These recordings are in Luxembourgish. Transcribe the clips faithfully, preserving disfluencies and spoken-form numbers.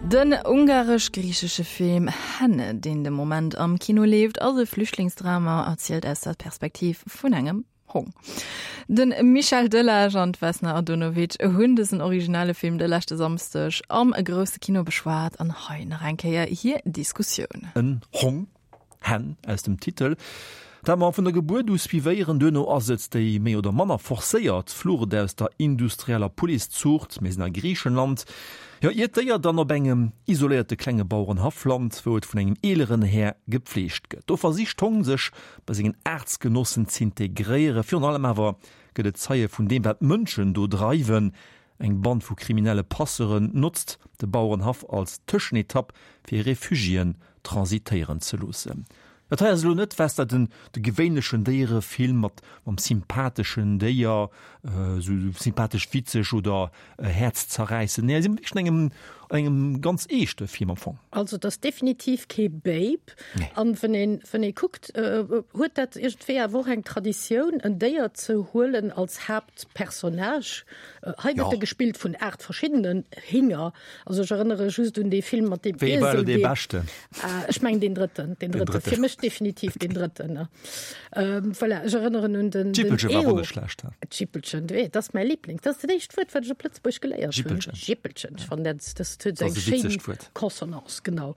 Den ungaresch-griichesche Film Henne, deen de Moment am Kino leeft, ass e Flüchtlingsdrama, erzielt aus der Perspektiv vun engem Hong. Den Michel Delage an d'Vesna Andonovic hunn dësen originelle Film de leschte Samsdeg am grousse Kino beschwat an hei nach eng Kéier hir Diskussioun. En Hong, Hen aus dem Titel, dat mer vun der Gebuert u suivéieren. Duerno ass et déi méi oder manner forcéiert Flucht aus der industrieller Pouletszuucht, mir sinn a Griichenland, jo, iert d'Déier dann op engem isoléierte klenge Bauerenhaff lant, wou et vun engem eeleren Här gepfleegt gëtt. Do versicht d'Hong sech bei sengen Aartsgenossen z'integréieren, virun allem awer gëtt et Zeie vun deem, wat d'Mënschen do dreiwen. Eng Band vu kriminelle Passeuren notzt de Bauerenhaff als Tëschenetapp, fir Refugiéen transitéieren ze loossen. Dat hei ass elo net, wess der, den de gewéinlechen Déierefilm mat mam sympatheschen Déier, esou sympathesch witzeg oder häerzzerräissend. Nee, hei si mer wierklech an engem an engem ganz eeschte Film am Fong. Also et ass definitiv kee Babe. Nee. An wann een wann ee kuckt, huet dat iergendwéi awer och eng Traditioun, en Déier ze huelen als Haaptpersonnage. Hei gëtt e gespillt vun aacht verschiddenen Hinger. Also ech erënnere just un dee Film mat deem Wéi war Iesel, elo dee dee beschten? Ech mengen deen drëtten, deen Deen drëtten. drëtten. Fir mech definitiv deen drëtten. Ähm, voilà, ech erënneren un den, den D'Jippelche war Eo. och net schlecht. D'Jippelchen, du, dat ass mäi Liblings. Dat ass dat éischt Wuert, wat ech op Lëtzebuerg geléiert hunn. Jippelchen. Jippelchen. Ech fannen dat, dat huet Dat eng ass e schéin witzegt Wuert. Consonance, genau.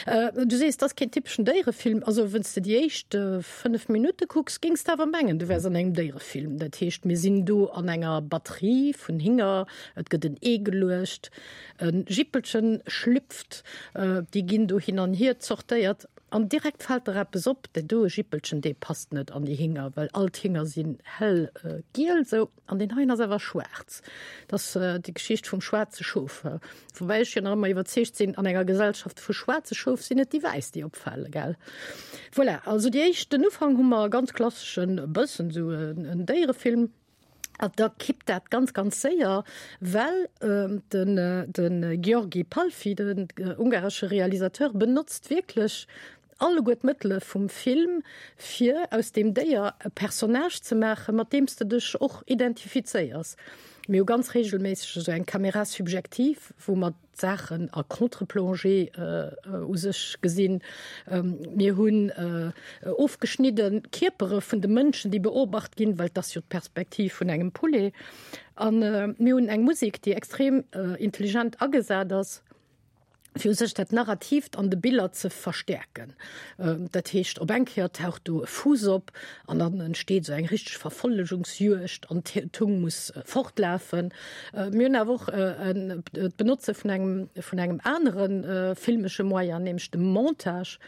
Äh, du sees, dat ass keen typeschen Déierefilm. Also wann s de déi éischt äh, fënnef Minutte kucks, géings de awer mengen, du wäers an engem Déierefilm. Dat heescht, mir sinn do an enger Batterie vun Hinger, et gëtt en Ee geluecht, e Jippelchen schlüpft, déi ginn do hin an hier zortéiert an direkt fält der eppes op, dat doe Jippelchen, dee passt net an déi Hinger, well all d'Hinger sinn hell giel esou an deen heien ass awer schwaarz. Dat ass déi Geschicht vum schwaarze Schof, woubäi ech jo nach ëmmer iwwerzeegt sinn, an enger Gesellschaft vu schwaarze Schof sinn et déi wäiss, déi opfale, gell? Voilà, also déi éischt, den Ufank hu mer e ganz klasseschen, e bëssen esou en Déierefilm. An da kippt dat ganz, ganz séier, well den, de György Pálfi, den ungaresche Realisateur, benotzt wierklech alleguer d'Mëttele vum Film, fir aus deem Déier e Personnage ze maachen, mat deem s de dech och identifizéiers. Mir hu ganz reegelméisseg esou eng Caméra subjective, wou mer d'Saachen a Contre-plongée u sech gesinn. Mir hunn ofgeschnidde Kierpere vun de Mënschen, déi beobacht ginn, well et ass jo d'Perspektiv vun engem Poulet. A mir hunn eng Musek, déi extrem intelligent agesat ass, fir u sech dat Narratiivt an de Biller ze verstäerken. Dat heescht, op eng Kéier taucht do e Fuuss op an dann entsteet esou eng richteg Verfollegungsjuegd an d'Hung muss fortlafen. Mir hunn awer och d'Benotze vun engem, vun engem anere filmesche Moyen, nämlech dem Montage,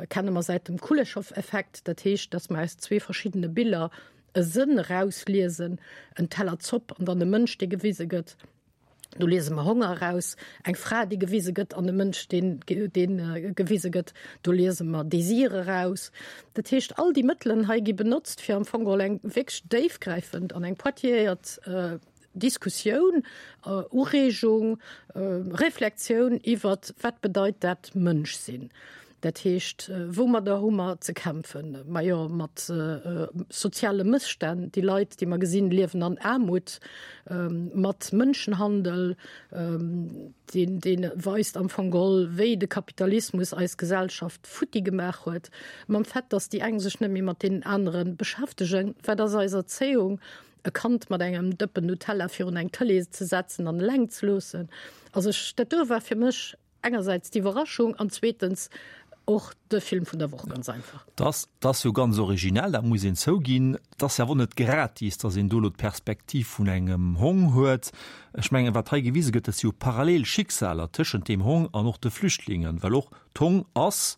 kenne mer säit dem Kuleshov-Effekt. Dat heescht, datt mer aus zwee verschiddene Biller e Sënn erausliesen, en Teller Zopp an dann e Mënsch, dee gewise gëtt. Do liese mer Honger eraus, eng Fra, déi gewise gëtt, an e Mënsch, deen, deen gewise gëtt. Do liese mer Désir eraus. Dat heescht, all déi Mëttelen hei gi benotzt, fir am Fong geholl eng wierklech déifgräifend an eng pointiéiert Diskussioun, Ureegung, Reflexioun iwwert, wat bedeit dat Mënsch sinn? Dat heescht, woumadder hu mer ze kämpfen? Majo, mat soziale Mësstänn. Déi Leit, déi mer gesinn, liewen an Aarmut, mat Mënschenhandel, deen, dee weist am Fong geholl, wéi de Kapitalismus eis Gesellschaft futti gemaach huet, mam Fait, datt déi eng sech net méi mat deenen anere beschäftegen. Wat ass eis Erzéiung? E Kand mat engem Dëppen Nutella virun eng Tëlee ze setzen an eleng ze loossen? Also ech, dat do war fir mech engersäits d'Iwwerraschung an zweetens och de Film vun der Woch, ganz einfach. Dat ass jo ganz originell, dat muss een zouginn. Et ass jo awer net gratis, datt een do elo d'Perspektiv vun engem Hong huet. Ech mengen, wat hei gewise gëtt, dat si jo parallel Schicksaler tëschent deem Hong an och de Flüchtlingen, well och d'Hong ass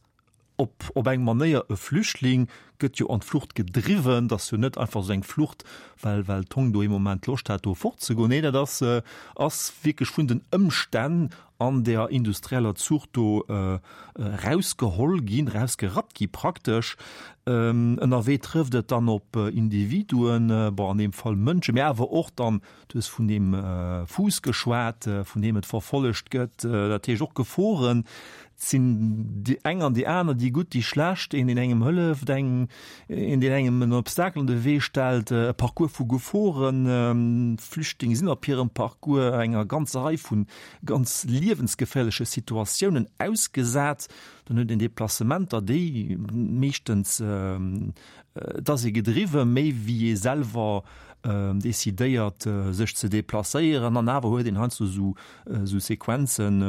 op op eng Manéier e Flüchtling, gëtt jo an d'Flucht gedriwwen. Dat ass jo net einfach esou eng Flucht, well well d'Hong do ee Moment Loscht hat, do fortzegoen. Nee, dat ass ass wierklech vun den Ëmstänn an der industrieller Zuucht do erausgeholl ginn, erausgerappt gi praktesch. Ënnerwee trëfft et dann op Individuen, bon an deem Fall Mënschen, mä awer och dann, du hues vun deem Fuuss geschwat, vun deem et verfollegt gëtt, dat heescht och Geforen. Et sinn déi eng an déi aner, déi gutt, déi schlecht, een, deen engem hëlleft, eng, een deen engem en Obstakel an de Wee stellt, e Parcours vu Geforen, d'Flüchtlinge sinn op hirem Parcours enger ganzer Rei vu ganz liewensgeféierleche Situatiounen ausgesat. Dann huet een Deplacementer, déi meeschtens, et ass ee gedriwwe méi wéi ee selwer decidéiert sech ze deplacéieren an awer huet een heiansdo esou esou Sequenzen,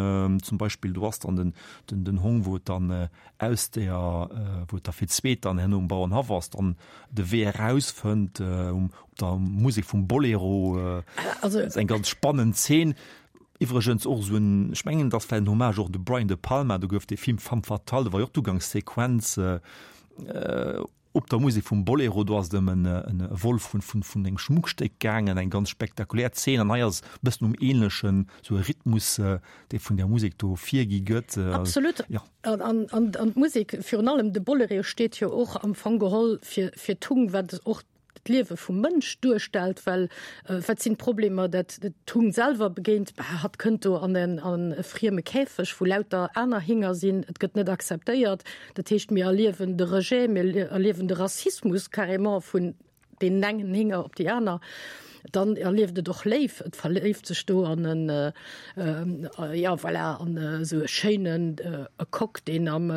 zum Beispill do ass dann den den den Hong wou et dann aus der wou et da fir d'zweet dann herno um Bauernhaff ass, dann de Wee erausfënnt um op der Musek vum Bolero. Also ass eng ganz spannend Zeen. Iwwregens och esou en, ech mengen et ass vläicht en Hommage och un de Brian De Palma, do gouf dee Film Femme fatale, do war jo och d'Ugangssequenz op der Musek vum Bolero, do ass et ëm en e Vol vun vun vun engem Schmuckstéck gaangen, eng ganz spektakulär Zeen. An hei ass e bëssen um ähnlechen esou e Rhythmus, dee vun där Musek do virgi gëtt. Absolut. Jo. An an an an d'Musek, virun allem de Bolero steet jo och am Fong geholl fir fir d'Hung, wat och d'Liewe vum Mënsch duerstellt, well wat sinn d'Problemer, dat d'Hung selwer begéint? Bah, hatt kënnt do an en an e frieme Käfeg, wou lauter aner Hinger sinn, et gëtt net akzeptéiert. Dat heescht, mir erliewen de Rejet, mir erliewen de Rassismus carrément vun deenen engen Hinger op déi aner. Dann erlieft et och Léif, et verléift sech do an en, jo voilà, an esou e schéinen e Coq, deen am,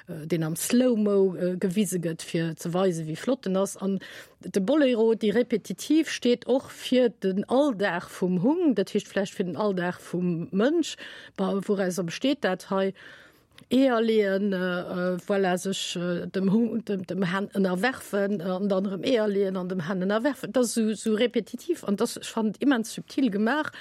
deen am Slow-Mo gewise gëtt, fir ze weisen, wéi flott en ass. An de Bolero, déi Repetitiv steet och fir den Alldag vum Hung, dat heescht vläicht fir den Alldag vum Mënsch. Wourauser besteet dat hei? Eeër leeën, voilà, sech dem Hung, dem, dem Hen ënnerwerfen an dann erëm Eeër leeën an dem Hen ënnerwerfen. Dat ass esou, esou repetitiv an dat ass, ech fannen et immens subtil gemaach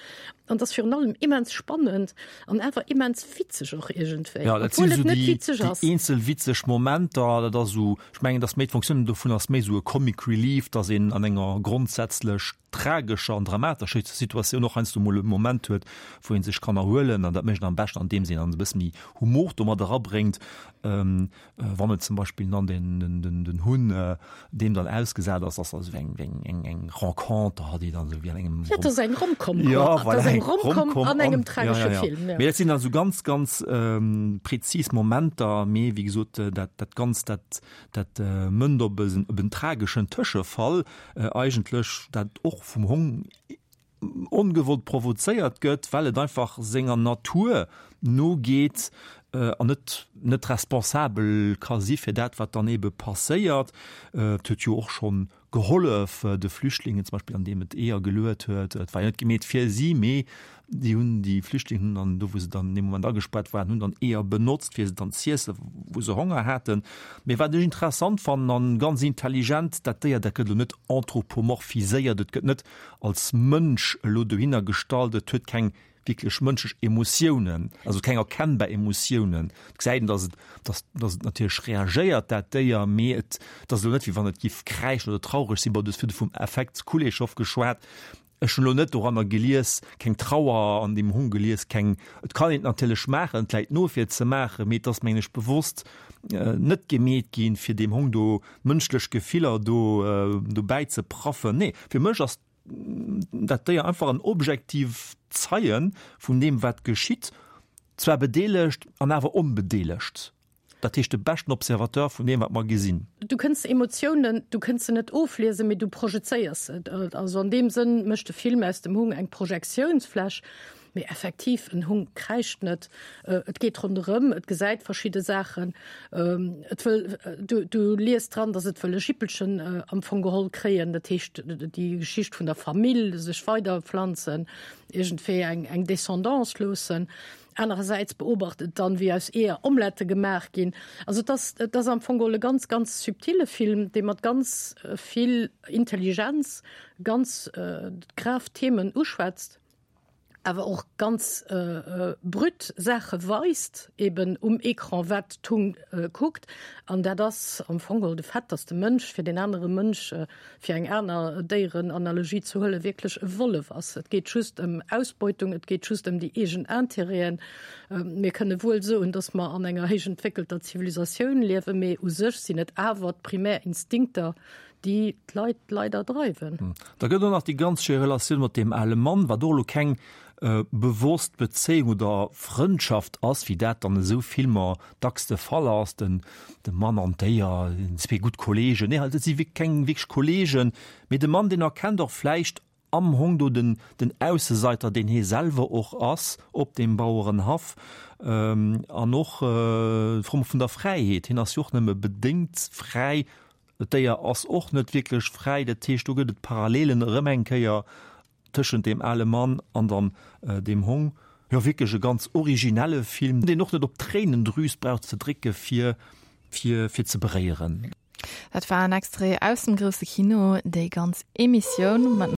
an dat ass virun allem immens spannend an awer immens witzeg och iergendwéi, Ja, dat sinn obwuel et esou net déi, witzeg déi ass. eenzel witzeg Momenter. Dat ass esou, ech mengen, dass méi d'Funktioun dovun ass méi esou e Comic Relief, dass een an enger grondsätzlech tragescher an dramatescher Situatioun och heiansdo mol e Moment huet, wou ee sech kann erhuelen. An dat mécht een am beschten, andeems een dann e bësse méi Humor do mat erabréngt, wann et zum Beispill dann den, den, den, den Hunn deem dann ausgesat ass, ass also eng, eng, eng, eng Renconter, déi dann esou wéi an engem Ja, dat ass eng Romcom, Ja, dat voilà, ass eng eng Romcom Romcom an engem an, tragesche ja, ja, ja. Film, ja. Mee dat sinn dann esou ganz, ganz ähm, präzis Momenter, mee wéi gesot, dat, dat Ganzt, dat, dat mënnt op en, op en trageschen Tëschefall, eigentlech, dat och vum Hong ongewollt provozéiert gëtt, well et einfach senger Natur nogeet an net, net responsabel ka si fir dat, wat dann ebe passéiert. Et huet jo och schonn gehollef de Flüchtlingen, zum Beispill andeem et Eeër geluet huet. Et war jo net gemeet fir si, mee déi hunn, déi Flüchtlingen hunn dann do, wou se dann dee Moment agespaart waren, hunn dann Eeër benotzt, fir se dann z'iessen, wou se Honger haten. Mee wat ech interessant fannen an ganz intelligent, dat Déier, dat gëtt elo net anthropomorphiséiert, et gëtt net als Mënsch elo dohinner gestallt, et huet keng wierklech mënschlech Emotiounen, also keng erkennbar Emotiounen. Et gesäit een, dass et, dass, dass et natierlech reagéiert, dat Déier, mee et, et ass elo net, wéi wann et giff kräischen oder traureg sinn. Bon, du hues virdu vum Effekt Kuleshov geschwat. Ech hunn elo net doranner gelies, keng Trauer an deem Hong gelies, keng, et kann een et natierlech maachen, et läit no fir et ze maachen, mee et ass, mengen ech, bewosst net gemeet ginn, fir deem Hong do mënschlech Gefiller do dobäi ze praffen. Nee, fir mech ass dat Déier einfach en objektiv Zeien vun deem wat geschitt, zwar bedeelegt an awer onbedeelegt. Dat heescht de beschten Observateur vun deem wat mer gesinn. Du kënns Emotiounen, du kënns se net ofliesen, mee du projezéiers se. Also an deem Sënn mécht de Film aus dem Hung eng Projektiounsfläch. Mee effektiv, en Hung kräischt net, et geet ronderëm, et gesäit verschidde Saachen, et wëll, du, du liest dran, datt et wëll e Jippelchen am Fong geholl kréien, dat heescht déi Geschicht vun der Famill, sech weiderpflanzen, iergendwéi eng, eng Descendance loossen. Anerersäits beobacht et dann, wéi aus Eeër Omelette gemaach ginn. Also et ass, et ass am Fong geholl e ganz, ganz subtile Film, dee mat ganz vill Intelligenz ganz grav Themen uschwätzt, awer och ganz brut Saache weist, eben um Ecran, wat d'Hung kuckt. An dat ass am Fong geholl de Fait, dass de Mënsch fir deen anere Mënsch, fir eng aner Déierenanalogie ze huelen, wierklech e Wollef ass. Et geet just ëm Ausbeutung, et geet just ëm déi eegen Intérêten. Mir kënne wuel soen, dass mer an enger héich entwéckelter Zivilisatioun liewen, mee u sech sinn et awer d'primär Instinkter, déi d'Leit leider dreiwen. Da gëtt och nach déi ganz schéi Relatioun mat deem ale Mann, wat och elo keng bewosst Bezéiung oder Frëndschaft ass, wéi dat dann esou Filmer dacks de Fall ass, den de Mann an d'Déier, zwee gutt Kolleegen, nee, dat si keng wierklech Kolleegen, mee de Mann, deen erkennt och vläicht am Hong do den den Ausseseiter, deen hie selwer och ass op deem Bauerenhaff, an och d'Fro vun der Fräiheet, hien ass jo och nëmme bedéngt fräi, d'Déier ass och net wierklech fräi, dat heescht do gëtt et Parallelen erëm eng Kéier tëschent deem ale Mann an dann deem Hong. Jo, wierklech e ganz originelle Film, deen och net op d'Tréinendrüs brauch ze drécke fir fir fir ze beréieren. Dat war en Extrait aus dem grousse Kino, déi ganz Emissioun mat